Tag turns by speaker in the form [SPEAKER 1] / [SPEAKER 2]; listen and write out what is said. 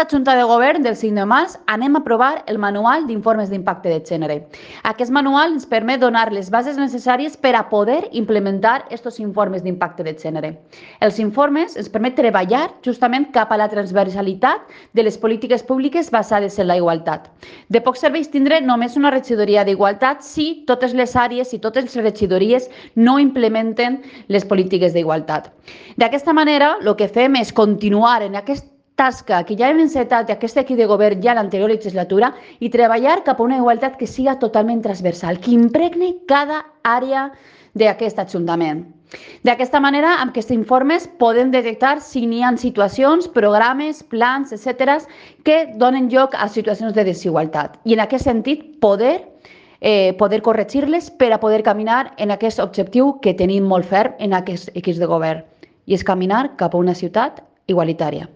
[SPEAKER 1] aquesta Junta de Govern del 5 de març anem a aprovar el Manual d'Informes d'Impacte de Gènere. Aquest manual ens permet donar les bases necessàries per a poder implementar aquests informes d'impacte de gènere. Els informes ens permet treballar justament cap a la transversalitat de les polítiques públiques basades en la igualtat. De poc serveix tindre només una regidoria d'igualtat si totes les àrees i totes les regidories no implementen les polítiques d'igualtat. D'aquesta manera, el que fem és continuar en aquesta tasca que ja hem encetat d'aquest equip de govern ja a l'anterior legislatura i treballar cap a una igualtat que siga totalment transversal, que impregne cada àrea d'aquest Ajuntament. D'aquesta manera, amb aquests informes podem detectar si n'hi ha situacions, programes, plans, etc., que donen lloc a situacions de desigualtat. I en aquest sentit, poder corregir-les per a poder caminar en aquest objectiu que tenim molt ferm en aquest equip de govern, i és caminar cap a una ciutat igualitària.